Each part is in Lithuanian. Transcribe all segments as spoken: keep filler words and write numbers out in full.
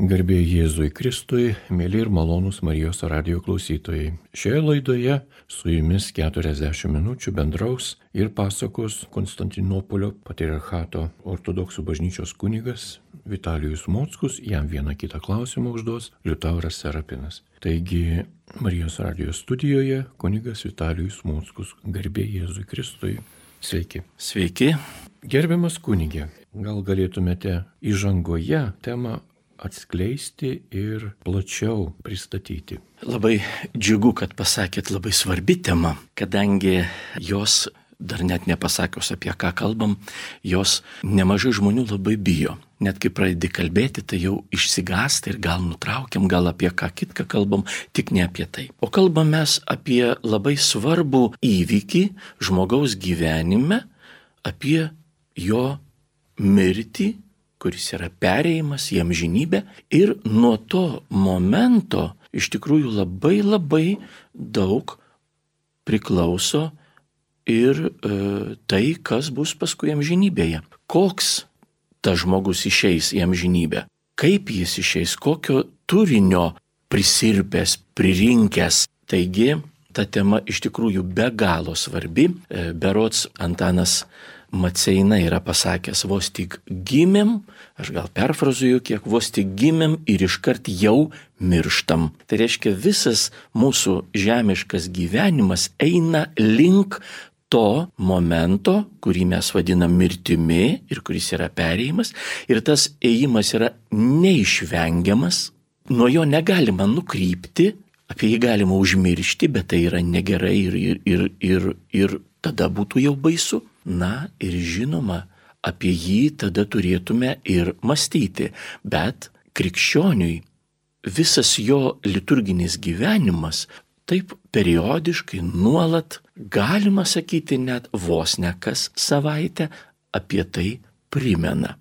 Garbė Jėzui Kristui, mėly ir malonūs Marijos radijo klausytojai. Šioje laidoje su jumis keturiasdešimt minučių bendraus ir pasakos Konstantinopolio patriarchato ortodoksų bažnyčios kunigas Vitalijus Mockus, jam vieną kitą klausimą užduos Liutauras Serapinas. Taigi Marijos radijo studijoje kunigas Vitalijus Mockus. Garbė Jėzui Kristui. Sveiki. Sveiki. Gerbiamas kunige, gal galėtumėte įžangoje temą atskleisti ir plačiau pristatyti. Labai džiugu, kad pasakėt, labai svarbi tema, kadangi jos, dar net nepasakius apie ką kalbam, jos nemažai žmonių labai bijo. Net kai pradedi kalbėti, tai jau išsigąsta ir gal nutraukiam, gal apie ką kitką kalbam, tik ne apie tai. O kalbam mes apie labai svarbų įvykį žmogaus gyvenime, apie jo mirtį, kuris yra perėjimas į amžinybę, ir nuo to momento iš tikrųjų labai labai daug priklauso ir e, tai, kas bus paskui amžinybėje. Koks tas žmogus išeis į amžinybę, kaip jis išeis, kokio turinio prisirpęs, pririnkęs. Taigi, ta tema iš tikrųjų be galo svarbi. E, berods Antanas Maceina yra pasakęs, vos tik gimėm, aš gal perfrazuoju kiek, vos tik gimėm ir iškart jau mirštam. Tai reiškia, visas mūsų žemiškas gyvenimas eina link to momento, kurį mes vadinam mirtimi ir kuris yra perėjimas, ir tas ėjimas yra neišvengiamas, nuo jo negalima nukrypti, apie jį galima užmiršti, bet tai yra negerai ir, ir, ir, ir, ir tada būtų jau baisu. Na ir žinoma, apie jį tada turėtume ir mąstyti, bet krikščioniui visas jo liturginis gyvenimas taip periodiškai, nuolat, galima sakyti net vos ne kas savaitę, apie tai primena.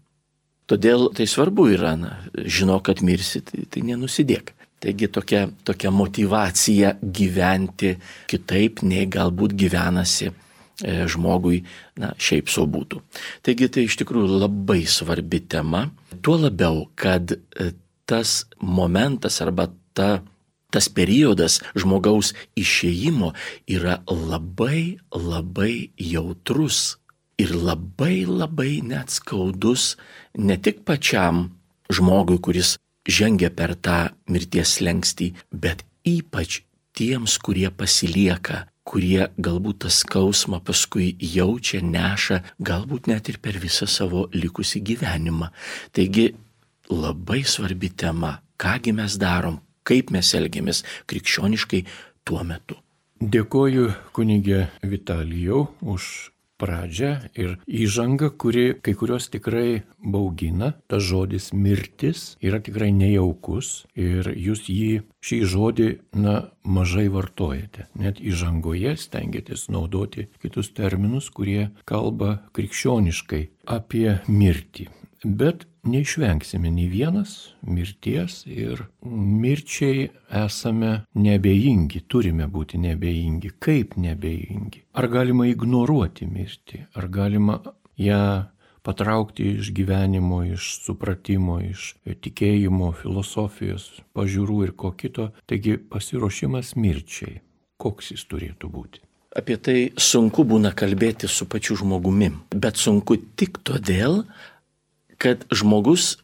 Todėl tai svarbu yra, na, žinok, kad mirsi, tai, tai nenusidėk. Taigi tokia, tokia motyvacija gyventi kitaip, nei galbūt gyvenasi žmogui, na, šiaip sau būtų. Taigi tai iš tikrųjų labai svarbi tema, tuo labiau, kad tas momentas arba ta, tas periodas žmogaus išėjimo yra labai, labai jautrus ir labai, labai net skaudus ne tik pačiam žmogui, kuris žengia per tą mirties slenkstį, bet ypač tiems, kurie pasilieka, kurie galbūt tą skausmą paskui jaučia, neša, galbūt net ir per visą savo likusį gyvenimą. Taigi labai svarbi tema, kągi mes darom, kaip mes elgiamės krikščioniškai tuo metu. Dėkoju kunige Vitalijau už pradžią ir įžangą, kuri kai kurios tikrai baugina. Tas žodis mirtis yra tikrai nejaukus ir jūs jį, šį žodį, na, mažai vartojate. Net įžangoje stengiatės naudoti kitus terminus, kurie kalba krikščioniškai apie mirtį. Bet neišvengsime nei vienas mirties ir mirčiai esame neabejingi, turime būti neabejingi. Kaip neabejingi? Ar galima ignoruoti mirtį? Ar galima ją patraukti iš gyvenimo, iš supratimo, iš tikėjimo, filosofijos, pažiūrų ir ko kito? Taigi pasiruošimas mirčiai, koks jis turėtų būti? Apie tai sunku būna kalbėti su pačiu žmogumi, bet sunku tik todėl, kad žmogus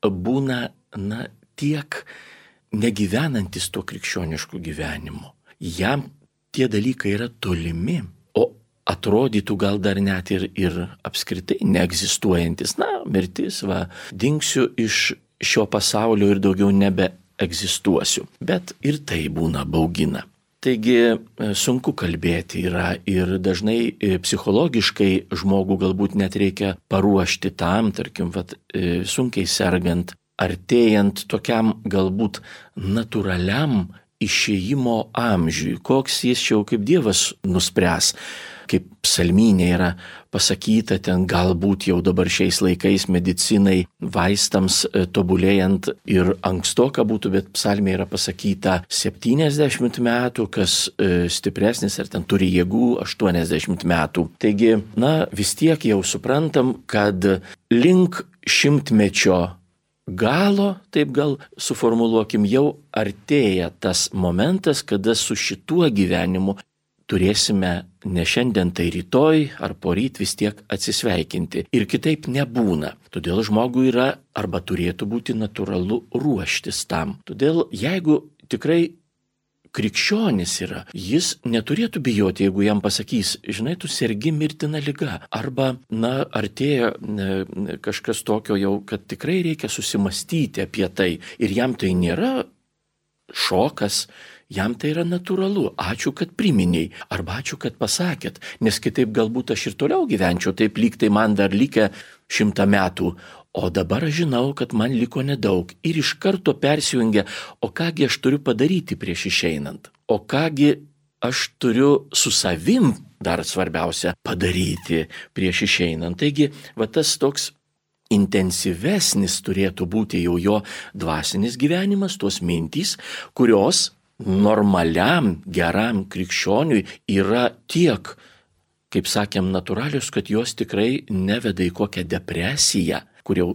būna, na, tiek negyvenantis tuo krikščionišku gyvenimu. Jam tie dalykai yra tolimi, o atrodytų gal dar net ir, ir apskritai neegzistuojantis. Na, mirtis, va, dingsiu iš šio pasaulio ir daugiau nebeegzistuosiu. Bet ir tai būna baugina. Taigi sunku kalbėti yra ir dažnai psichologiškai žmogų galbūt net reikia paruošti tam, tarkim, vat, sunkiai sergant, artėjant tokiam galbūt natūraliam išėjimo amžiui, koks jis jau kaip Dievas nuspręs. Kaip psalmynė yra pasakyta, ten galbūt jau dabar šiais laikais medicinai, vaistams tobulėjant ir ankstoka būtų, bet psalmė yra pasakyta septyniasdešimt metų, kas stipresnis ar ten turi jėgų aštuoniasdešimt metų. Taigi, na, vis tiek jau suprantam, kad link šimtmečio galo, taip gal suformuluokim, jau artėja tas momentas, kada su šituo gyvenimu turėsime ne šiandien, tai rytoj ar poryt vis tiek atsisveikinti. Ir kitaip nebūna. Todėl žmogui yra arba turėtų būti natūralu ruoštis tam. Todėl jeigu tikrai krikščionis yra, jis neturėtų bijoti, jeigu jam pasakys, žinai, tu sergi mirtina liga. Arba, na, artėja ne, kažkas tokio jau, kad tikrai reikia susimastyti apie tai. Ir jam tai nėra šokas, jam tai yra natūralu. Ačiū, kad priminiai. Arba ačiū, kad pasakėt. Nes kitaip galbūt aš ir toliau gyvenčiau. Taip lyg tai man dar likę šimtą metų. O dabar aš žinau, kad man liko nedaug. Ir iš karto persijungia, o kągi aš turiu padaryti prieš išeinant. O kągi aš turiu su savim, dar svarbiausia, padaryti prieš išeinant. Taigi, va tas toks intensyvesnis turėtų būti jau jo dvasinis gyvenimas, tos mintys, kurios normaliam, geram krikščioniui yra tiek, kaip sakėm, natūralius, kad jos tikrai neveda į kokią depresiją, kur jau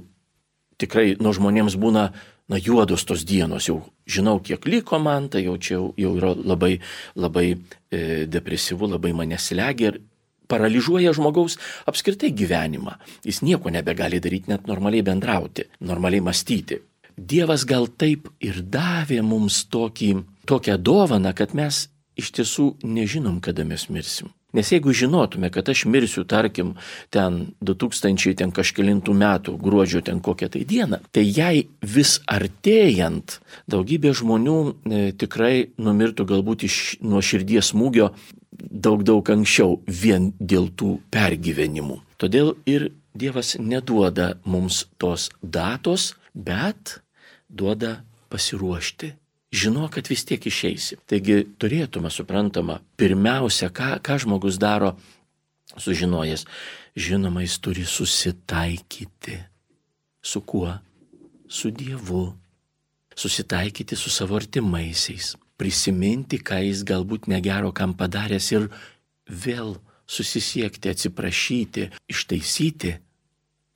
tikrai nuo žmonėms būna na, juodos tos dienos, jau žinau, kiek liko man, tai jau čia jau yra labai, labai e, depresyvu, labai mane slegia ir paralyžiuoja žmogaus apskritai gyvenimą. Jis nieko nebegali daryti, net normaliai bendrauti, normaliai mąstyti. Dievas gal taip ir davė mums tokį, tokią dovaną, kad mes iš tiesų nežinom, kada mes mirsim. Nes jeigu žinotume, kad aš mirsiu, tarkim, ten du tūkstančiai ten kažkelintų metų gruodžio ten kokią tai dieną, tai jai vis artėjant daugybė žmonių e, tikrai numirtų galbūt iš nuo širdies smūgio daug daug anksčiau vien dėl tų pergyvenimų. Todėl ir Dievas neduoda mums tos datos, bet duoda pasiruošti. Žino, kad vis tiek išeisi. Taigi turėtume, suprantama, pirmiausia, ką, ką žmogus daro sužinojęs. Žinoma, jis turi susitaikyti. Su kuo? Su Dievu. Susitaikyti su savo artimaisiais. Prisiminti, ką jis galbūt negero kam padaręs ir vėl susisiekti, atsiprašyti, ištaisyti.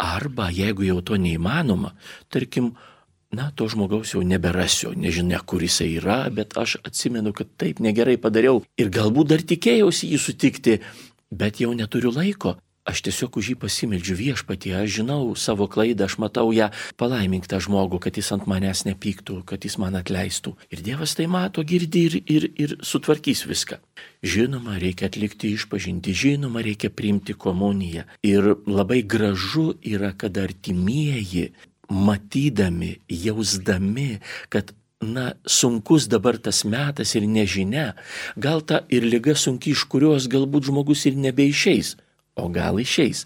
Arba, jeigu jau to neįmanoma, tarkim, na, to žmogaus jau neberasiu, nežinia, kur jisai yra, bet aš atsimenu, kad taip negerai padariau ir galbūt dar tikėjausi jį sutikti, bet jau neturiu laiko. Aš tiesiog už jį pasimeldžiu Viešpatie, aš žinau savo klaidą, aš matau ją, palaimink tą žmogų, kad jis ant manęs nepyktų, kad jis man atleistų. Ir Dievas tai mato, girdi ir, ir, ir sutvarkys viską. Žinoma, reikia atlikti išpažintį, žinoma, reikia priimti komuniją. Ir labai gražu yra, kad artimieji, matydami, jausdami, kad, na, sunkus dabar tas metas ir nežinia, gal ta ir liga sunki, iš kurios galbūt žmogus ir nebeišeis, o gal išeis.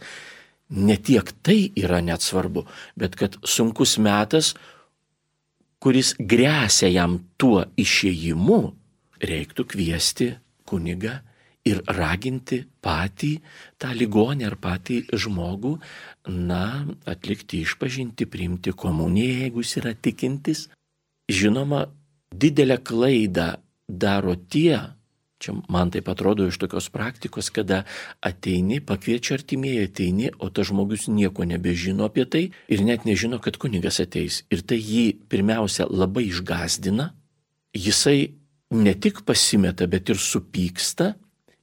Ne tiek tai yra net svarbu, bet kad sunkus metas, kuris gresia jam tuo išėjimu, reiktų kviesti kunigą ir raginti patį tą ligonį ar patį žmogų, na, atlikti išpažintį, priimti komuniją, jeigu jis yra tikintis. Žinoma, didelę klaidą daro tie, čia man taip atrodo iš tokios praktikos, kada ateini, pakviečia artimieji, ateini, o tas žmogus nieko nebežino apie tai ir net nežino, kad kunigas ateis. Ir tai jį pirmiausia labai išgąsdina, jisai ne tik pasimeta, bet ir supyksta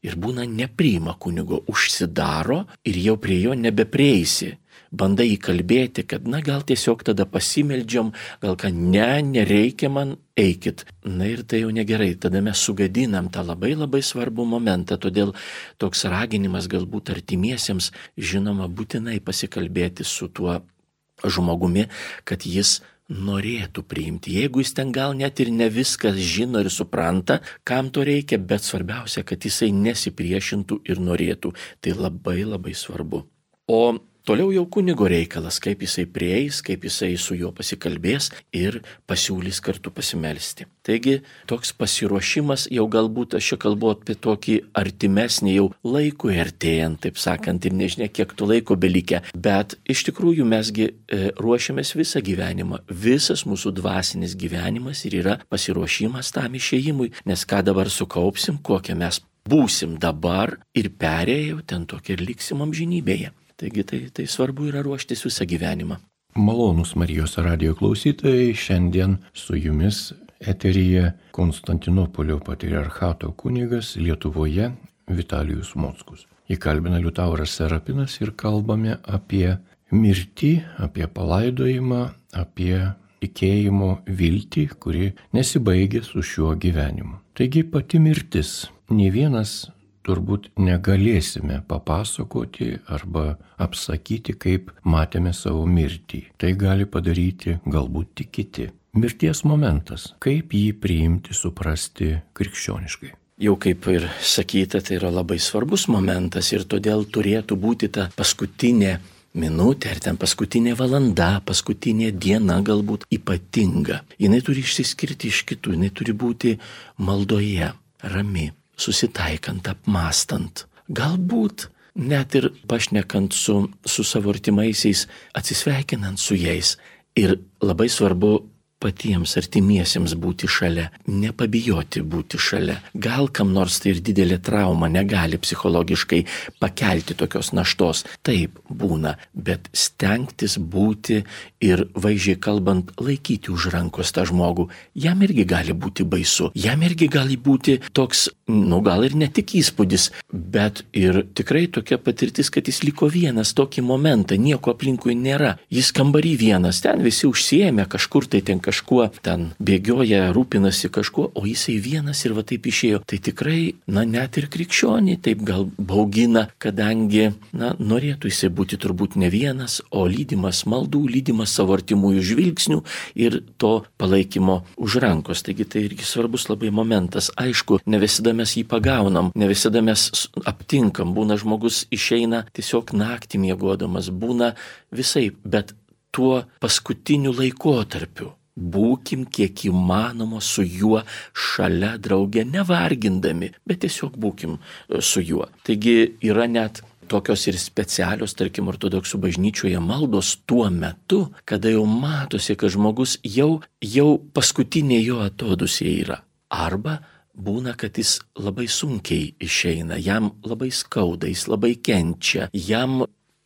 ir būna nepriima kunigo, užsidaro ir jau prie jo nebeprieisi. Bandai įkalbėti, kad, na, gal tiesiog tada pasimeldžiam, gal ką, ne, nereikia man, eikit. Na ir tai jau negerai, tada mes sugadinam tą labai labai svarbų momentą, todėl toks raginimas galbūt artimiesiems, žinoma, būtinai pasikalbėti su tuo žmogumi, kad jis norėtų priimti. Jeigu jis ten gal net ir ne viskas žino ir supranta, kam to reikia, bet svarbiausia, kad jisai nesipriešintų ir norėtų. Tai labai labai svarbu. O toliau jau kunigo reikalas, kaip jisai prieis, kaip jisai su juo pasikalbės ir pasiūlys kartu pasimelsti. Taigi toks pasiruošimas jau galbūt, aš čia kalbu apie tokį artimesnį jau laikui artėjant, taip sakant, ir nežinia, kiek to laiko belikę, bet iš tikrųjų mesgi e, ruošiamės visą gyvenimą. Visas mūsų dvasinis gyvenimas ir yra pasiruošimas tam išėjimui, nes ką dabar sukaupsim, kokią mes būsim dabar ir perėjau ten tokia ir liksim amžinybėje. Taigi tai, tai svarbu yra ruoštis visą gyvenimą. Malonūs Marijos radijo klausytojai, šiandien su jumis eteryje Konstantinopolio patriarchato kunigas Lietuvoje Vitalijus Mockus. Jį kalbina Liutauras Serapinas ir kalbame apie mirtį, apie palaidojimą, apie tikėjimo viltį, kuri nesibaigia su šiuo gyvenimu. Taigi pati mirtis. Nė vienas turbūt negalėsime papasakoti arba apsakyti, kaip matėme savo mirtį. Tai gali padaryti galbūt tik kiti. Mirties momentas. Kaip jį priimti, suprasti krikščioniškai. Jau kaip ir sakyta, tai yra labai svarbus momentas ir todėl turėtų būti ta paskutinė minutė ar ten paskutinė valanda, paskutinė diena galbūt ypatinga. Jinai turi išsiskirti iš kitų, jinai turi būti maldoje, rami, susitaikant, apmastant. Galbūt net ir pašnekant su, su savo artimaisiais, atsisveikinant su jais. Ir labai svarbu patiems artimiesiems būti šalia, nepabijoti būti šalia. Gal kam nors tai ir didelė trauma, negali psichologiškai pakelti tokios naštos. Taip būna, bet stengtis būti ir vaizdžiai kalbant laikyti už rankos tą žmogų. Jam irgi gali būti baisu, jam irgi gali būti toks, nu gal ir ne tik įspūdis, bet ir tikrai tokia patirtis, kad jis liko vienas tokį momentą, nieko aplinkui nėra. Jis kambarį vienas, ten visi užsiėmė kažkur tai ten kažkuo ten bėgioja, rūpinasi kažkuo, o jisai vienas ir va taip išėjo. Tai tikrai, na net ir krikščionį taip gal baugina, kadangi, na norėtų jisai būti turbūt ne vienas, o lydimas maldų, lydimas savo artimųjų žvilgsnių ir to palaikymo už rankos. Taigi tai irgi svarbus labai momentas. Aišku, ne visada mes jį pagaunam, ne visada mes aptinkam. Būna žmogus išeina tiesiog naktį miegodamas, būna visai, bet tuo paskutiniu laikotarpiu būkim kiek įmanoma su juo šalia drauge, nevargindami, bet tiesiog būkim su juo. Taigi yra net tokios ir specialios, tarkim, ortodoksų bažnyčioje maldos tuo metu, kada jau matosi, kad žmogus jau, jau paskutinė jo atodūsė yra. Arba būna, kad jis labai sunkiai išeina, jam labai skauda, jis labai kenčia, jam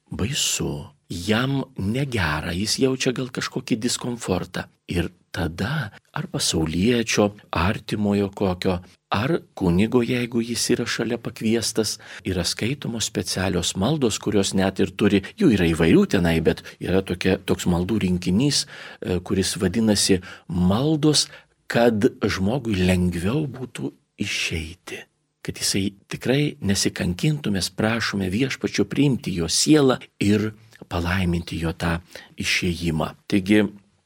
baisu. Jam negera, jis jaučia gal kažkokį diskomfortą. Ir tada ar pasauliečio, artimojo kokio, ar kunigo, jeigu jis yra šalia pakviestas, yra skaitomos specialios maldos, kurios net ir turi, jų yra įvairių tenai, bet yra tokia, toks maldų rinkinys, kuris vadinasi maldos, kad žmogui lengviau būtų išeiti. Kad jisai tikrai nesikankintų, mes prašome Viešpačio priimti jo sielą ir palaiminti jo tą išėjimą. Taigi,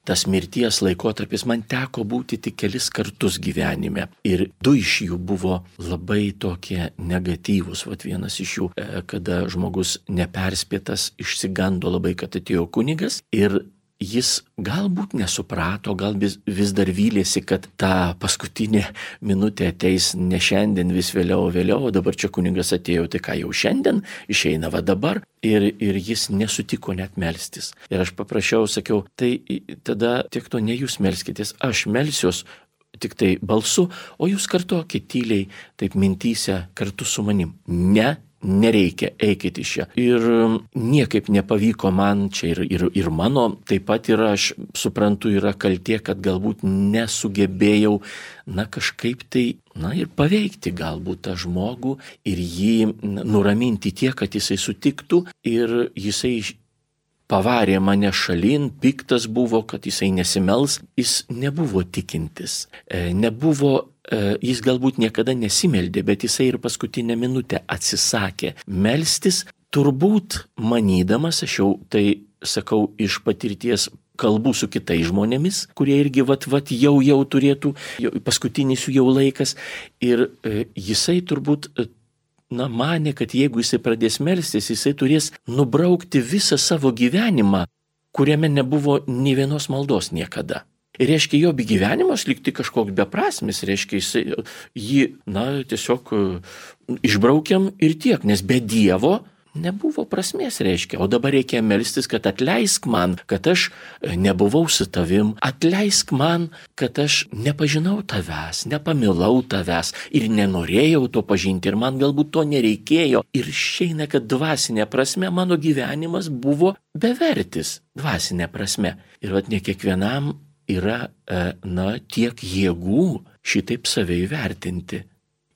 tas mirties laikotarpis man teko būti tik kelis kartus gyvenime. Ir du iš jų buvo labai tokie negatyvūs. Vat vienas iš jų, kada žmogus neperspėtas, išsigando labai, kad atėjo kunigas ir jis galbūt nesuprato, gal vis, vis dar vylėsi, kad ta paskutinė minutė ateis ne šiandien, vis vėliau, vėliau, o dabar čia kunigas atėjo, tai ką jau šiandien, išeina va dabar. Ir, ir jis nesutiko net melstis. Ir aš paprašiau, sakiau, tai tada tiek to ne jūs melskitės, aš melsiuos tik tai balsu, o jūs kartokit tyliai, taip mintyse kartu su manim. Ne. Nereikia, eikit iš čia. Ir niekaip nepavyko man, čia ir, ir, ir mano, taip pat ir aš suprantu, yra kaltė, kad galbūt nesugebėjau, na kažkaip tai, na ir paveikti galbūt tą žmogų ir jį nuraminti tiek, kad jisai sutiktų ir jisai pavarė mane šalin, piktas buvo, kad jisai nesimels, jis nebuvo tikintis, nebuvo. Jis galbūt niekada nesimeldė, bet jisai ir paskutinę minutę atsisakė melstis, turbūt manydamas, aš jau tai sakau iš patirties, kalbų su kitais žmonėmis, kurie irgi vat, vat jau jau turėtų, jau, paskutinis jų jau laikas, ir e, jisai turbūt, e, na, manė, kad jeigu jisai pradės melstis, jisai turės nubraukti visą savo gyvenimą, kuriame nebuvo nė vienos maldos niekada. Ir reiškia, jo gyvenimas likti kažkoks beprasmis, reiškia, jis, jį, na, tiesiog išbraukiam ir tiek, nes be Dievo, Nebuvo prasmės, reiškia. O dabar reikia melstis, kad atleisk man, kad aš nebuvau su tavim, atleisk man, kad aš nepažinau tavęs, nepamilau tavęs ir nenorėjau to pažinti ir man galbūt to nereikėjo. Ir išeina, kad dvasinė prasme mano gyvenimas buvo bevertis, dvasinė prasme. Ir vat ne kiekvienam yra, na, tiek jėgų šitaip save įvertinti.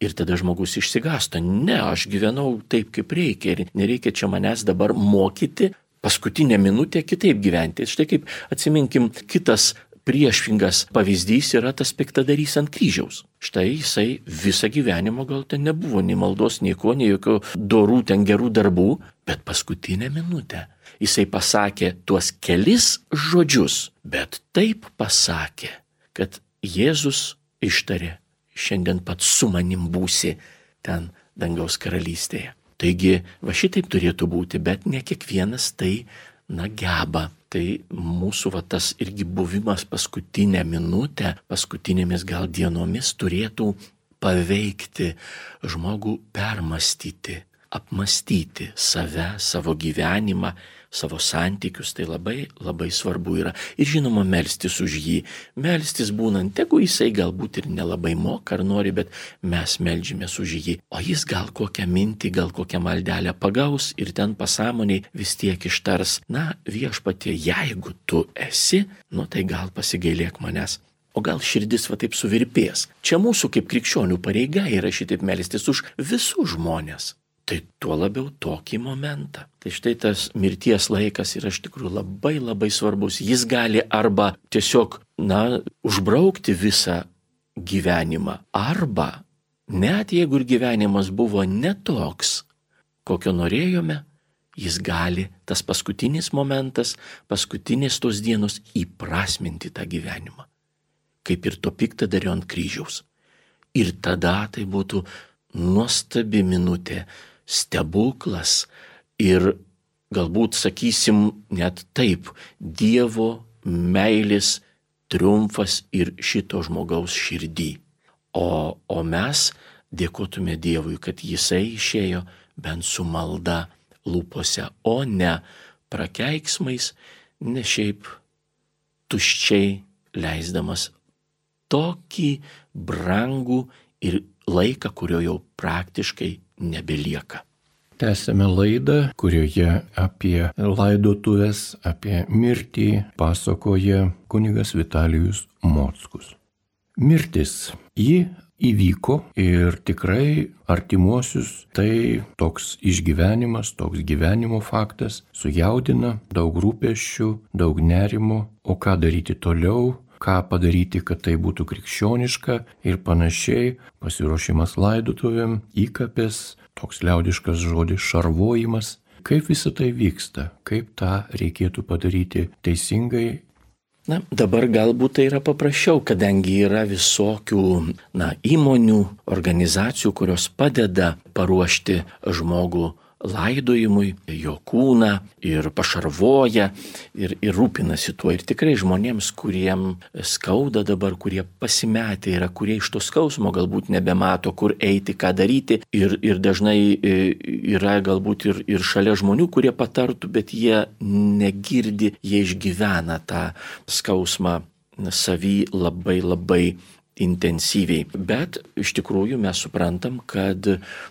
Ir tada žmogus išsigąsta, ne, aš gyvenau taip, kaip reikia ir nereikia čia manęs dabar mokyti paskutinę minutę kitaip gyventi. Štai kaip atsiminkim, kitas priešingas pavyzdys yra tas piktadarys ant kryžiaus. Štai jisai visą gyvenimą gal ten nebuvo nei maldos, nei ko, nei jokių dorų ten gerų darbų, bet paskutinę minutę jisai pasakė tuos kelis žodžius, bet taip pasakė, kad Jėzus ištarė, šiandien pats su manim būsi ten dangaus karalystėje. Taigi, va šitaip turėtų būti, bet ne kiekvienas tai, na, geba. Tai mūsų va tas irgi buvimas paskutinę minutę, paskutinėmis gal dienomis turėtų paveikti žmogų, permastyti, apmastyti save, savo gyvenimą, savo santykius, tai labai, labai svarbu yra. Ir žinoma, melstis už jį. Melstis būnant, tegu jisai galbūt ir nelabai moka ar nori, bet mes meldžiamės už jį. O jis gal kokią mintį, gal kokią maldelę pagaus ir ten pasąmoniai vis tiek ištars, na, viešpatie, jeigu tu esi, nu tai gal pasigailėk manęs. O gal širdis va taip suvirpės. Čia mūsų kaip krikščionių pareiga yra šitaip melstis už visus žmonės. Tai tuo labiau tokį momentą. Tai štai tas mirties laikas yra iš tikrųjų labai labai svarbus. Jis gali arba tiesiog, na, užbraukti visą gyvenimą, arba net jeigu ir gyvenimas buvo netoks, kokio norėjome, jis gali, tas paskutinis momentas, paskutinės tos dienos įprasminti tą gyvenimą. Kaip ir to piktadario ant kryžiaus. Ir tada tai būtų nuostabi minutė, stebuklas ir galbūt, sakysim, net taip, Dievo meilės triumfas ir šito žmogaus širdį. O, o mes dėkotume Dievui, kad jisai išėjo bent su malda lūpose, o ne prakeiksmais, ne šiaip tuščiai leisdamas tokį brangų ir laiką, kurio jau praktiškai nebelieka. Tęsėme laidą, kurioje apie laidotuvės, apie mirtį pasakoja kunigas Vitalijus Mockus. Mirtis, ji įvyko ir tikrai artimuosius tai toks išgyvenimas, toks gyvenimo faktas sujaudina, daug rūpesčių, daug nerimo, o ką daryti toliau, ką padaryti, kad tai būtų krikščioniška ir panašiai, pasiruošimas laidotuvėm, įkapės, toks liaudiškas žodis šarvojimas. Kaip visa tai vyksta, kaip tą reikėtų padaryti teisingai? Na, dabar galbūt tai yra paprasčiau, kadangi yra visokių, na, įmonių, organizacijų, kurios padeda paruošti žmogų laidojimui, jo kūną ir pašarvoja ir, ir rūpinasi tuo. Ir tikrai žmonėms, kuriem skauda dabar, kurie pasimetę yra, kurie iš to skausmo galbūt nebemato, kur eiti, ką daryti. Ir, ir dažnai yra galbūt ir, ir šalia žmonių, kurie patartų, bet jie negirdi, jie išgyvena tą skausmą savy labai labai intensyviai. Bet iš tikrųjų mes suprantam, kad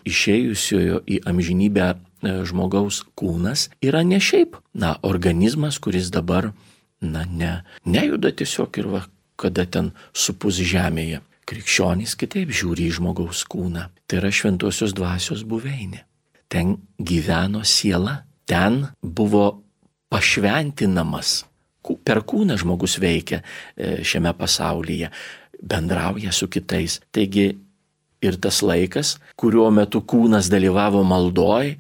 išėjusiojo į amžinybę žmogaus kūnas yra ne šiaip, na, organizmas, kuris dabar, na, ne, nejuda tiesiog ir va, kada ten supus žemėje. Krikščionys kitaip žiūri į žmogaus kūną. Tai yra šventosios dvasios buveinė. Ten gyveno siela, ten buvo pašventinamas. Per kūną žmogus veikia šiame pasaulyje, bendrauja su kitais. Taigi ir tas laikas, kuriuo metu kūnas dalyvavo maldoj,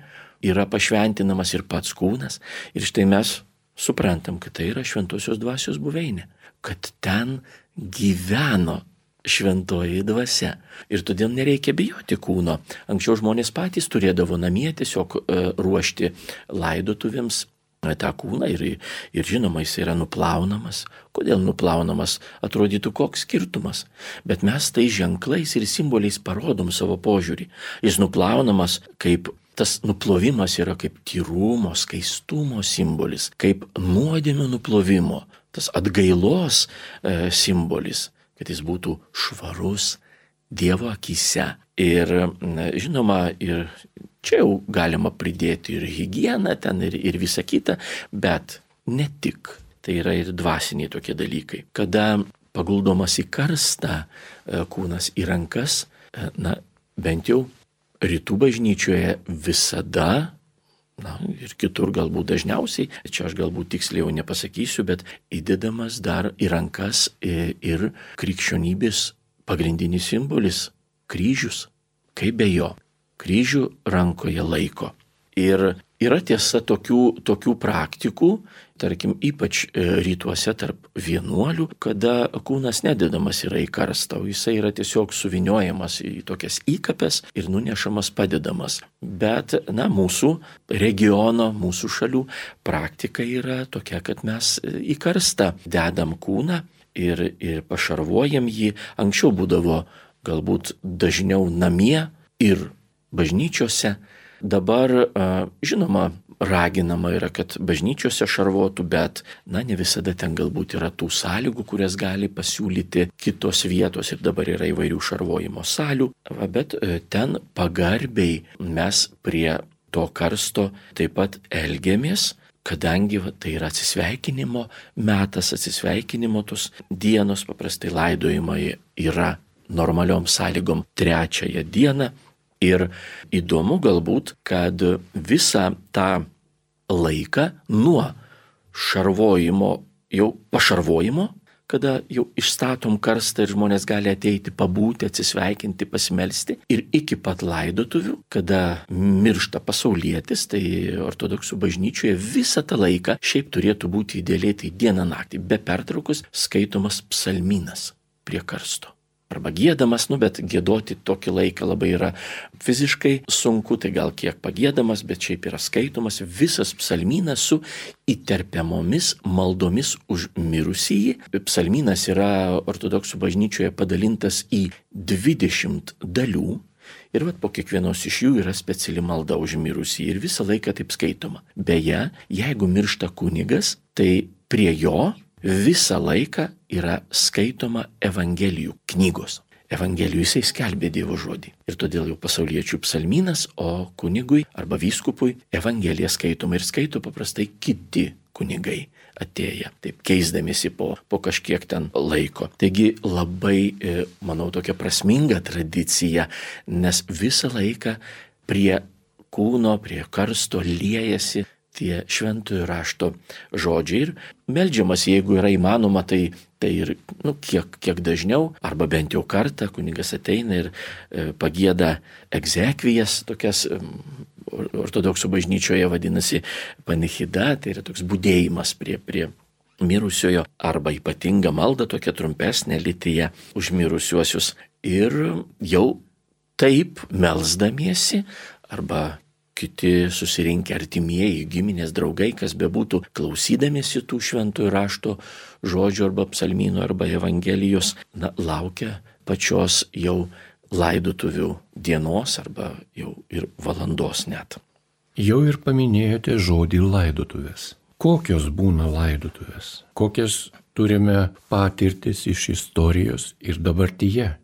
yra pašventinamas ir pats kūnas. Ir štai mes suprantam, kad tai yra šventosios dvasios buveinė, kad ten gyveno šventoji dvasia. Ir todėl nereikia bijoti kūno. Anksčiau žmonės patys turėdavo namie tiesiog ruošti laidotuvėms tą kūną ir, ir žinoma, jis yra nuplaunamas. Kodėl nuplaunamas? Atrodytų koks skirtumas. Bet mes tai ženklais ir simboliais parodom savo požiūrį. Jis nuplaunamas kaip tas nuplovimas yra kaip tyrumo, skaistumo simbolis, kaip nuodėmių nuplovimo, tas atgailos e, simbolis, kad jis būtų švarus Dievo akyse. Ir žinoma, ir čia jau galima pridėti ir higieną ten, ir, ir visą kitą, bet ne tik. Tai yra ir dvasiniai tokie dalykai. Kada paguldomas į karstą kūnas į rankas, na, bent jau rytų bažnyčioje visada, na, ir kitur galbūt dažniausiai, čia aš galbūt tiksliai jau nepasakysiu, bet įdedamas dar į rankas ir krikščionybės pagrindinis simbolis – kryžius. Kaip be jo? Kryžių rankoje laiko. Ir yra tiesa tokių, tokių praktikų, tarkim, ypač rytuose tarp vienuolių, kada kūnas nededamas yra į karstą, o jisai yra tiesiog suviniojamas į tokias įkapes ir nunešamas padedamas. Bet, na, mūsų regiono, mūsų šalių praktika yra tokia, kad mes į karstą dedam kūną ir, ir pašarvojam jį. Anksčiau būdavo galbūt dažniau namie ir bažnyčiose. Dabar, žinoma, raginama yra, kad bažnyčiose šarvotų, bet, na, ne visada ten galbūt yra tų sąlygų, kurias gali pasiūlyti kitos vietos, ir dabar yra įvairių šarvojimo salių, bet ten pagarbiai mes prie to karsto taip pat elgiamės, kadangi va, tai yra atsisveikinimo metas, atsisveikinimo tos dienos, paprastai laidojimai yra normaliom sąlygom trečiąją dieną. Ir įdomu galbūt, kad visą tą laiką nuo šarvojimo, jau pašarvojimo, kada jau išstatom karstą ir žmonės gali ateiti, pabūti, atsisveikinti, pasimelsti, ir iki pat laidotuvių, kada miršta pasaulietis, tai ortodoksų bažnyčioje visą tą laiką šiaip turėtų būti idealiai tai dieną naktį, be pertraukos skaitomas psalmynas prie karsto. Arba giedamas, nu bet giedoti tokį laiką labai yra fiziškai sunku, tai gal kiek pagiedamas, bet šiaip yra skaitomas visas psalmynas su įterpiamomis maldomis už mirusįjį. Psalmynas yra ortodoksų bažnyčioje padalintas į dvidešimt dalių ir vat po kiekvienos iš jų yra speciali malda už mirusįjį ir visą laiką taip skaitoma. Beje, jeigu miršta kunigas, tai prie jo visą laiką yra skaitoma Evangelijų knygos. Evangelijų jisai skelbė Dievo žodį. Ir todėl jau pasauliečių psalmynas, o kunigui arba vyskupui Evangelija skaitoma ir skaito paprastai kiti kunigai atėję, taip keisdamėsi po, po kažkiek ten laiko. Taigi labai, manau, tokia prasminga tradicija, nes visą laiką prie kūno, prie karsto liejasi tie šventojo rašto žodžiai ir meldžiamas, jeigu yra įmanoma, tai, tai ir nu, kiek, kiek dažniau, arba bent jau kartą kunigas ateina ir e, pagieda egzekvijas, tokias e, ortodoksų bažnyčioje vadinasi panichida, tai yra toks budėjimas prie, prie mirusiojo, arba ypatinga malda, tokia trumpesnė lityje už mirusiuosius. Ir jau taip melsdamiesi, arba kiti susirinkę artimieji, giminės, draugai, kas bebūtų, klausydamiesi tų šventojo rašto žodžių arba psalmynų arba evangelijos, na, laukia pačios jau laidotuvių dienos arba jau ir valandos net. Jau ir paminėjote žodį laidotuvės. Kokios būna laidotuvės? Kokias turime patirtis iš istorijos ir dabartyje?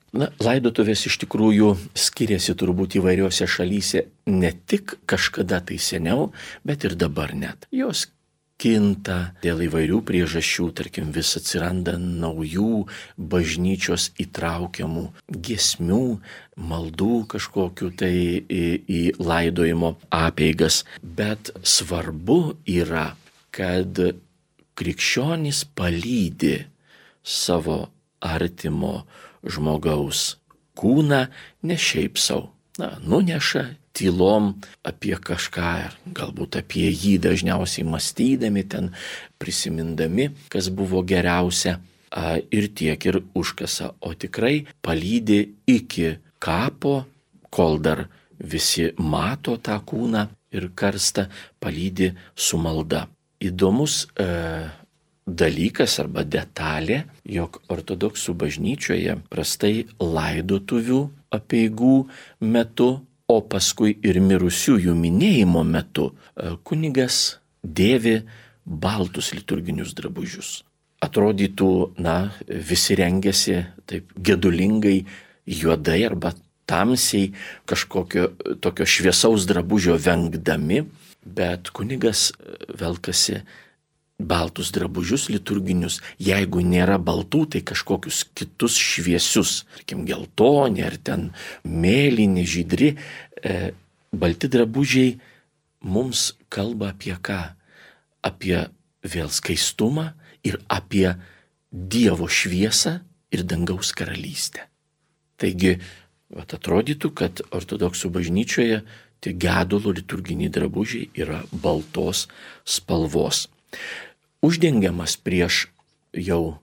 Na, laidotuvės iš tikrųjų skiriasi turbūt įvairiose šalyse ne tik kažkada tai seniau, bet ir dabar net. Jos kinta dėl įvairių priežasčių, tarkim, vis atsiranda naujų bažnyčios įtraukiamų giesmių, maldų kažkokiu tai į, į laidojimo apeigas. Bet svarbu yra, kad krikščionys palydi savo artimo žmogaus kūną ne šiaip sau. Na, nuneša tylom apie kažką, galbūt apie jį dažniausiai mąstydami, ten prisimindami, kas buvo geriausia, ir tiek ir užkasa, o tikrai palydi iki kapo, kol dar visi mato tą kūną ir karstą, palydi su malda. Įdomus e, dalykas arba detalė, jog ortodoksų bažnyčioje prastai laidotuvių apeigų metu o paskui ir mirusiųjų minėjimo metu kunigas dėvi baltus liturginius drabužius. Atrodytų, na, visi rengiasi taip gedulingai, juodai arba tamsiai, kažkokio tokio šviesaus drabužio vengdami, bet kunigas velkasi baltus drabužius liturginius, jeigu nėra baltų, tai kažkokius kitus šviesius, tarkim, geltoni ar ten mėlyni, žydri. E, balti drabužiai mums kalba apie ką? Apie vėl skaistumą ir apie Dievo šviesą ir dangaus karalystę. Taigi, vat atrodytų, kad ortodoksų bažnyčioje tie gedulo liturginiai drabužiai yra baltos spalvos. Uždengiamas prieš jau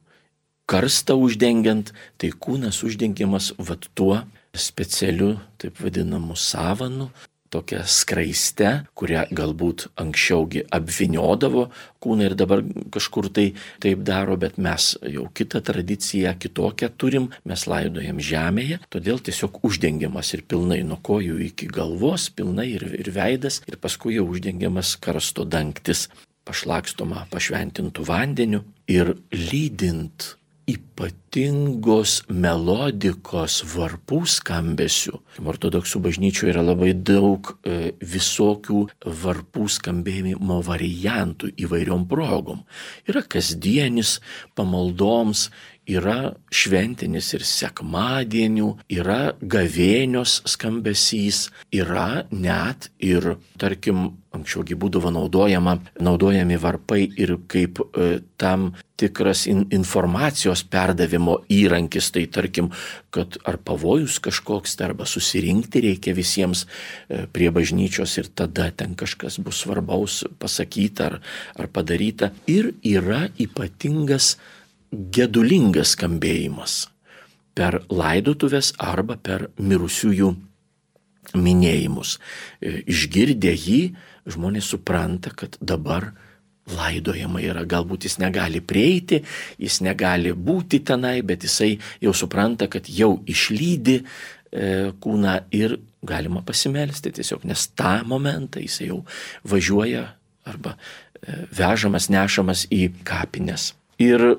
karstą uždengiant, tai kūnas uždengiamas vat tuo specialiu, taip vadinamu savanu, tokia skraiste, kurią galbūt anksčiaugi apvyniodavo kūną ir dabar kažkur tai taip daro, bet mes jau kitą tradiciją, kitokią turim, mes laidojam žemėje, todėl tiesiog uždengiamas ir pilnai nuo kojų iki galvos, pilnai ir, ir veidas, ir paskui jau uždengiamas karsto dangtis, pašlakstoma pašventintų vandeniu ir lydint ypatingos melodikos varpų skambesių. Ortodoksų bažnyčioje yra labai daug e, visokių varpų skambėjimo variantų įvairiom progom. Yra kasdienis pamaldoms, yra šventinis ir sekmadienių, yra gavėnios skambesys, yra net ir, tarkim, anksčiaugi būdavo naudojama, naudojami varpai ir kaip e, tam tikras in, informacijos perdavimo įrankis, tai tarkim, kad ar pavojus kažkoks, arba susirinkti reikia visiems e, prie bažnyčios ir tada ten kažkas bus svarbaus pasakyta ar, ar padaryta. Ir yra ypatingas gedulingas skambėjimas per laidotuvės arba per mirusiųjų minėjimus. Išgirdę jį, žmonės supranta, kad dabar laidojama yra. Galbūt jis negali prieiti, jis negali būti tenai, bet jisai jau supranta, kad jau išlydi e, kūną ir galima pasimelsti tiesiog, nes tą momentą jisai jau važiuoja arba e, vežamas, nešamas į kapines. Ir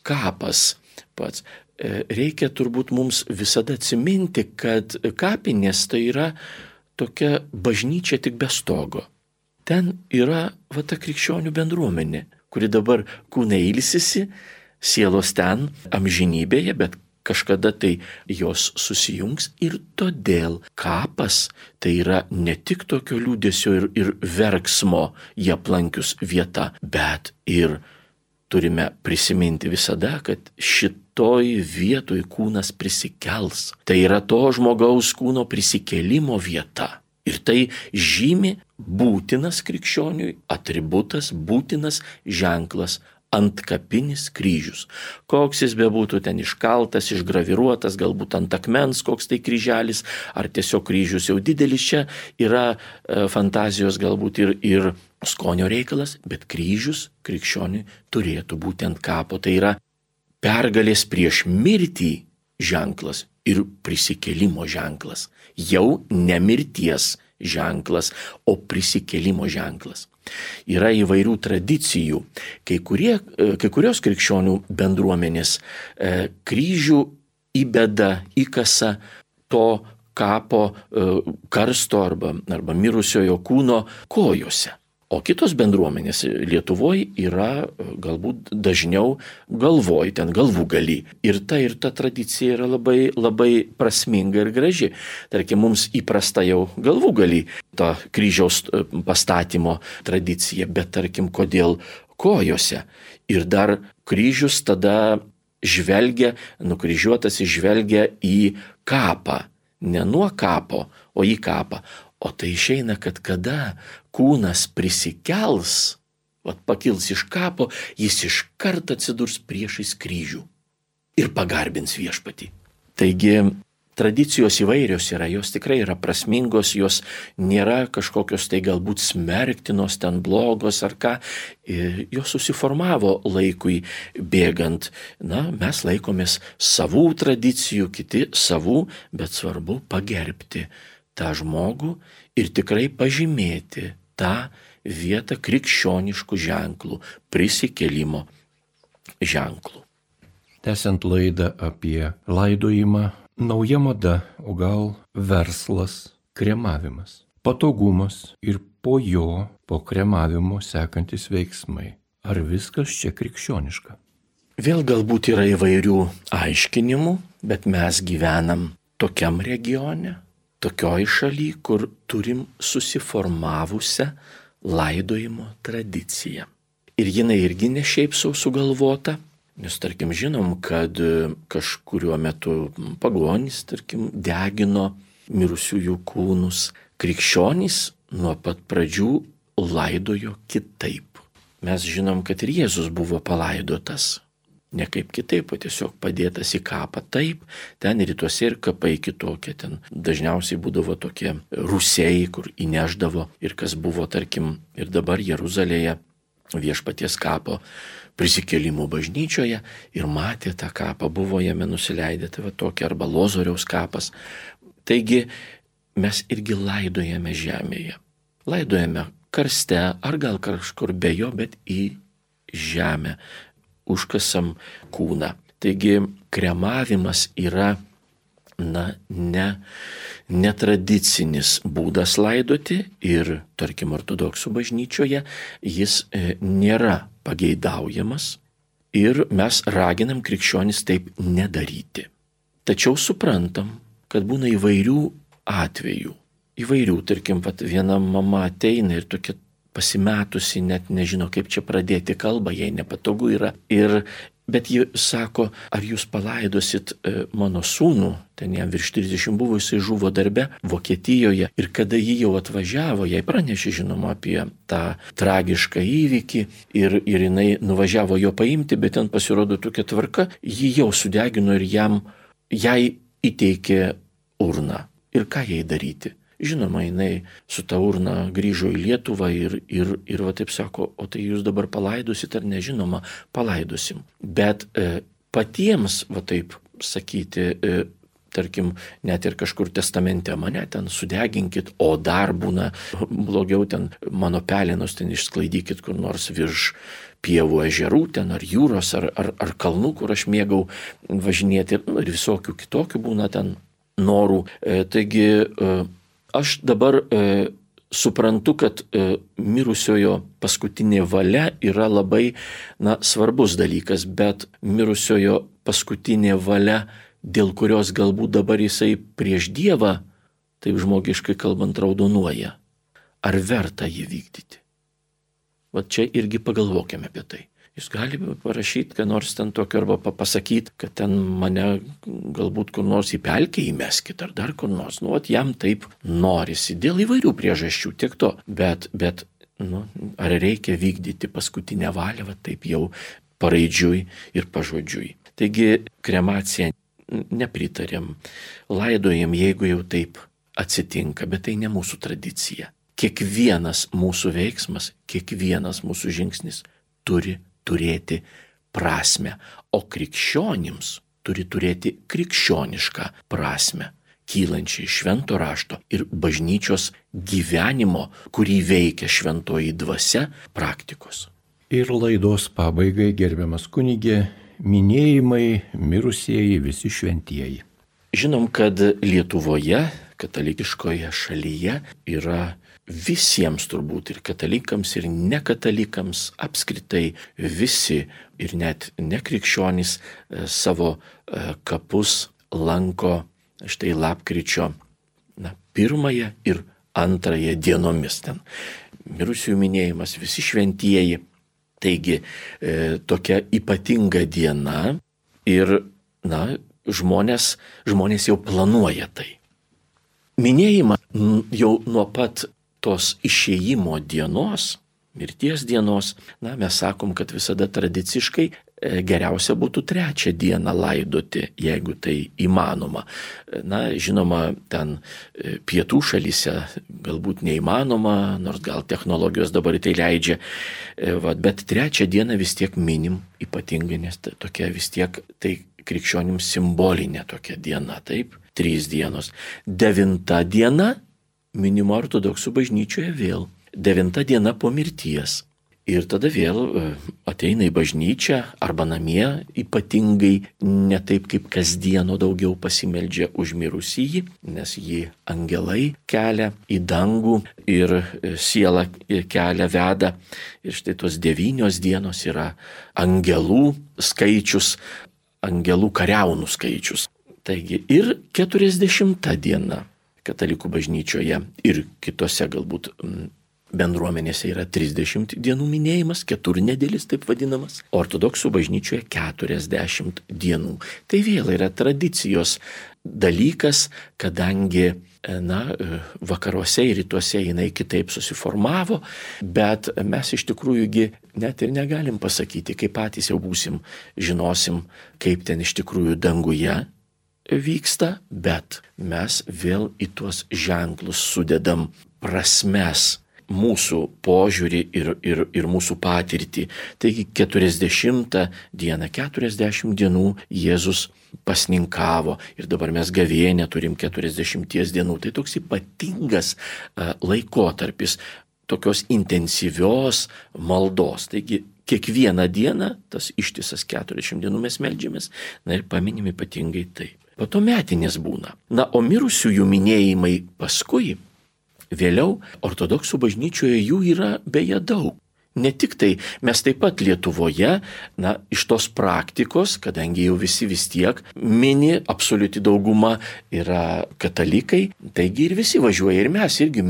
kapas pats. Reikia turbūt mums visada atsiminti, kad kapinės tai yra tokia bažnyčia tik be stogo. Ten yra va ta krikščionių bendruomenė, kuri dabar kūnai ilsisi, sielos ten amžinybėje, bet kažkada tai jos susijungs ir todėl kapas tai yra ne tik tokio liūdesio ir, ir verksmo jie aplankius vieta, bet ir turime prisiminti visada, kad šitoj vietoj kūnas prisikels. Tai yra to žmogaus kūno prisikėlimo vieta. Ir tai žymi būtinas krikščioniui atributas, būtinas ženklas, antkapinis kryžius. Koks jis bebūtų ten iškaltas, išgraviruotas, galbūt ant akmens koks tai kryželis, ar tiesiog kryžius jau didelis, čia yra e, fantazijos galbūt ir, ir skonio reikalas, bet kryžius krikščioniui turėtų būti ant kapo. Tai yra pergalės prieš mirtį ženklas ir prisikėlimo ženklas. Jau ne mirties ženklas, o prisikėlimo ženklas. Yra įvairių tradicijų. Kai, kurie, kai kurios krikščionių bendruomenės e, kryžių įbeda, įkasa to kapo e, karsto arba, arba mirusiojo kūno kojose. O kitos bendruomenės Lietuvoje yra galbūt dažniau galvoj, ten galvūgalį. Ir ta ir ta tradicija yra labai, labai prasminga ir graži. Tarkim, mums įprasta jau galvūgalį, ta kryžiaus pastatymo tradicija, bet tarkim, kodėl kojose. Ir dar kryžius tada žvelgia, nukryžiuotas žvelgia į kapą. Ne nuo kapo, o į kapą. O tai išeina, kad kada kūnas prisikels, vat pakils iš kapo, jis iškart atsidurs priešais kryžių ir pagarbins viešpatį. Taigi tradicijos įvairios yra, jos tikrai yra prasmingos, jos nėra kažkokios tai galbūt smerktinos, ten blogos ar ką, jos susiformavo laikui bėgant. Na, mes laikomės savų tradicijų, kiti savų, bet svarbu pagerbti tą žmogų ir tikrai pažymėti tą vietą krikščioniškų ženklų, prisikėlimo ženklų. Tęsiant laidą apie laidojimą, nauja mada, o gal verslas, kremavimas. Patogumas ir po jo, po kremavimo sekantis veiksmai. Ar viskas čia krikščioniška? Vėl galbūt yra įvairių aiškinimų, bet mes gyvenam tokiam regione, tokioj šaly, kur turim susiformavusią laidojimo tradiciją. Ir jinai irgi ne šiaip sau sugalvota, nes tarkim žinom, kad kažkuriuo metu pagonys, tarkim, degino mirusiųjų kūnus. Krikščionys nuo pat pradžių laidojo kitaip. Mes žinom, kad ir Jėzus buvo palaidotas. Ne kaip kitaip, o tiesiog padėtas į kapą. Taip, ten rytuose ir kapai kitokie. Ten dažniausiai būdavo tokie rūsiai, kur įneždavo. Ir kas buvo, tarkim, ir dabar Jeruzalėje Viešpaties kapo prisikėlimo bažnyčioje ir matė tą kapą, buvo jame nusileidę, tai va tokia, arba Lozoriaus kapas. Taigi mes irgi laidojame žemėje. Laidojame karste, ar gal kažkur be jo, bet į žemę. Užkasam kūną. Taigi kremavimas yra, na, ne, netradicinis būdas laidoti ir, tarkim, ortodoksų bažnyčioje jis e, nėra pageidaujamas ir mes raginam krikščionis taip nedaryti. Tačiau suprantam, kad būna įvairių atvejų. Įvairių, tarkim, vat, viena mama ateina ir tokia pasimetusi, net nežino, kaip čia pradėti kalbą, jai nepatogu yra. Ir, bet ji sako, ar jūs palaidosit e, mano sūnų, ten jam virš trisdešimt buvo, jisai žuvo darbe Vokietijoje. Ir kada ji jau atvažiavo, jai pranešė, žinoma, apie tą tragišką įvykį ir, ir jinai nuvažiavo jo paimti, bet ten pasirodo tokia tvarka, ji jau sudegino ir jam, jai įteikė urną. Ir ką jai daryti? Žinoma, jinai su ta urna grįžo į Lietuvą ir, ir, ir va taip sako, o tai jūs dabar palaidosit ar nežinoma, palaidosim. Bet e, patiems, va taip sakyti, e, tarkim, net ir kažkur testamente mane ten sudeginkit, o dar būna blogiau ten mano pelenus ten išsklaidykit kur nors virš pievų ežerų ten ar jūros ar, ar, ar kalnų, kur aš mėgau važinėti ir, nu, ir visokių kitokių būna ten norų. E, taigi, e, Aš dabar e, suprantu, kad e, mirusiojo paskutinė valia yra labai, na, svarbus dalykas, bet mirusiojo paskutinė valia, dėl kurios galbūt dabar jisai prieš Dievą, taip žmogiškai kalbant, raudonuoja. Ar verta jį vykdyti? Va čia irgi pagalvokime apie tai. Jūs galite parašyti, kad nors ten tokio, arba pasakyti, kad ten mane galbūt kur nors į pelkę įmeskit, ar dar kur nors. Nu, at jam taip norisi, dėl įvairių priežasčių, tiek to. Bet, bet nu, ar reikia vykdyti paskutinę valią, va taip jau paraidžiui ir pažodžiui. Taigi kremacija nepritarėm, laidojam, jeigu jau taip atsitinka, bet tai ne mūsų tradicija. Kiekvienas mūsų veiksmas, kiekvienas mūsų žingsnis turi turėti prasmę, o krikščionims turi turėti krikščionišką prasmę, kylančią iš švento rašto ir bažnyčios gyvenimo, kurį veikia šventoji dvasia, praktikos. Ir laidos pabaigai, gerbiamas kunigė, minėjimai, mirusieji, visi šventieji. Žinom, kad Lietuvoje, katalikiškoje šalyje, yra visiems turbūt ir katalikams, ir nekatalikams, apskritai visi ir net nekrikščionys savo kapus lanko štai lapkričio na, pirmąją ir antrąją dienomis. Ten mirusiųjų minėjimas, visi šventieji. Taigi e, tokia ypatinga diena ir na, žmonės, žmonės jau planuoja tai. Minėjimą jau nuo pat tos išėjimo dienos, mirties dienos, na, mes sakom, kad visada tradiciškai geriausia būtų trečią dieną laidoti, jeigu tai įmanoma. Na, žinoma, ten pietų šalyse galbūt neįmanoma, nors gal technologijos dabar tai leidžia, bet trečią dieną vis tiek minim ypatingai, nes tokia vis tiek tai krikščionims simbolinė tokia diena, taip, trys dienos. Devinta diena minima ortodoksų bažnyčioje vėl. Devinta diena po mirties. Ir tada vėl ateina į bažnyčią arba namie, ypatingai ne taip kaip kasdieno daugiau pasimeldžia už mirusįjį, nes jį angelai kelia į dangų ir siela kelia veda. Ir štai tos devynios dienos yra angelų skaičius, angelų kariaunų skaičius. Taigi ir keturiasdešimta diena katalikų bažnyčioje ir kitose galbūt bendruomenėse yra trisdešimt dienų minėjimas, keturnedėlis taip vadinamas, ortodoksų bažnyčioje keturiasdešimt dienų. Tai vėl yra tradicijos dalykas, kadangi na, vakaruose ir rytuose jinai kitaip susiformavo, bet mes iš tikrųjųgi net ir negalim pasakyti, kai patys jau būsim, žinosim, kaip ten iš tikrųjų danguje vyksta, bet mes vėl į tuos ženklus sudedam prasmes, mūsų požiūrį ir, ir, ir mūsų patirtį. Taigi keturiasdešimtą dieną, keturiasdešimt dienų Jėzus pasninkavo ir dabar mes gavėnią turim keturiasdešimties dienų. Tai toks ypatingas uh, laikotarpis tokios intensyvios maldos. Taigi kiekvieną dieną, tas ištisas keturiasdešimt dienų mes meldžiamės, na ir paminim ypatingai taip. Po to metinės būna. Na, o mirusiųjų minėjimai paskui, vėliau ortodoksų bažnyčioje jų yra beje daug. Ne tik tai, mes taip pat Lietuvoje, na, iš tos praktikos, kadangi jau visi vis tiek mini, absoliuti dauguma yra katalikai, taigi ir visi važiuoja ir mes irgi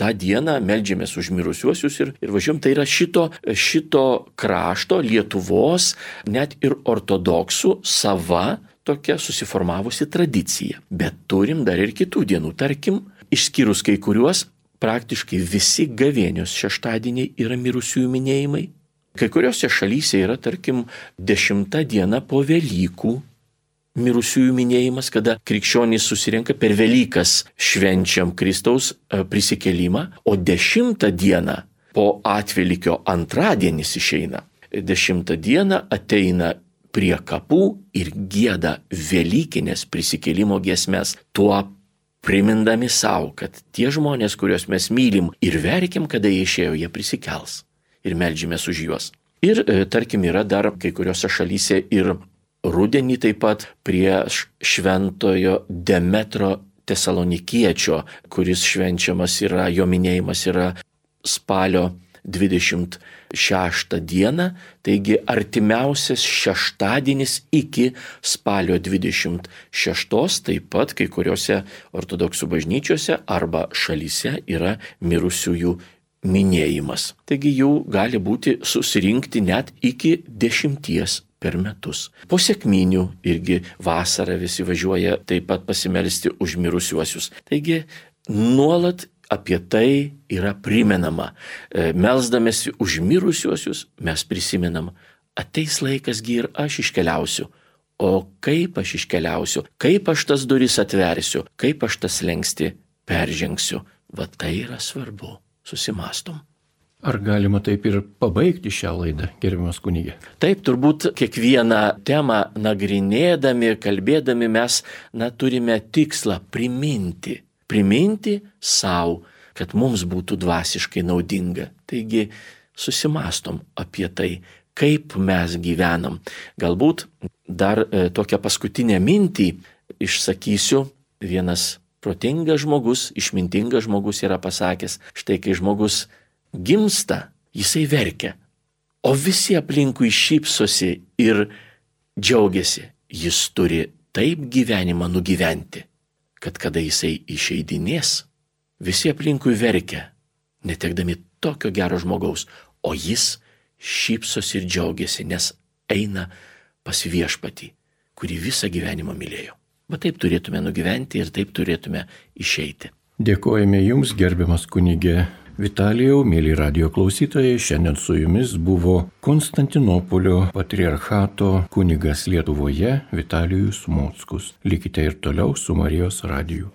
tą dieną meldžiamės už mirusiuosius ir, ir važiuojam. Tai yra šito, šito krašto, Lietuvos, net ir ortodoksų sava tokia susiformavusi tradicija. Bet turim dar ir kitų dienų, tarkim, išskyrus kai kuriuos, praktiškai visi gavėnios šeštadieniai yra mirusiųjų minėjimai. Kai kuriuose šalyse yra, tarkim, dešimta diena po Velykų mirusiųjų minėjimas, kada krikščionys susirenka per Velykas švenčiam Kristaus prisikėlimą, o dešimtą dieną po atvelykio antradienis išeina. Dešimtą dieną ateina prie kapų ir gieda Velykinės prisikėlimo giesmes, tuo primindami savo, kad tie žmonės, kuriuos mes mylim ir verkiam, kada jie išėjo, jie prisikels ir meldžiamės už juos. Ir e, tarkim yra dar kai kuriuose šalyse ir rudenį taip pat prie šventojo Demetro Tesalonikiečio, kuris švenčiamas yra, jo minėjimas yra spalio dvidešimt šeštą dieną, taigi artimiausias šeštadienis iki spalio dvidešimt šeštos, taip pat kai kuriuose ortodoksų bažnyčiose arba šalyse yra mirusiųjų minėjimas. Taigi jų gali būti susirinkti net iki dešimties per metus. Po sekminių irgi vasarą visi važiuoja taip pat pasimelsti už mirusiuosius. Taigi nuolat apie tai yra primenama. Melsdamėsi už mirusiuosius mes prisimenam, ateis laikasgi ir aš iškeliausiu. O kaip aš iškeliausiu, kaip aš tas duris atversiu, kaip aš tas slengsti peržengsiu. Va tai yra svarbu. Susimastom. Ar galima taip ir pabaigti šią laidą, gerbiamas kunige? Taip, turbūt kiekvieną temą nagrinėdami, kalbėdami mes na, turime tikslą priminti. Priminti savo, kad mums būtų dvasiškai naudinga. Taigi susimastom apie tai, kaip mes gyvenam. Galbūt dar e, tokią paskutinę mintį išsakysiu. Vienas protingas žmogus, išmintingas žmogus yra pasakęs, štai kai žmogus gimsta, jisai verkia, o visi aplinkui šypsosi ir džiaugiasi. Jis turi taip gyvenimą nugyventi, kad kada jisai išeidinės, visi aplinkui verkia, netekdami tokio gero žmogaus, o jis šypsosi ir džiaugiasi, nes eina pas viešpatį, kurį visą gyvenimą mylėjo. Bet taip turėtume nugyventi ir taip turėtume išeiti. Dėkojame Jums, gerbiamas kunige Vitalijau, mėly radijo klausytojai. Šiandien su Jumis buvo Konstantinopolio patriarchato kunigas Lietuvoje Vitalijus Mockus. Likite ir toliau su Marijos radiju.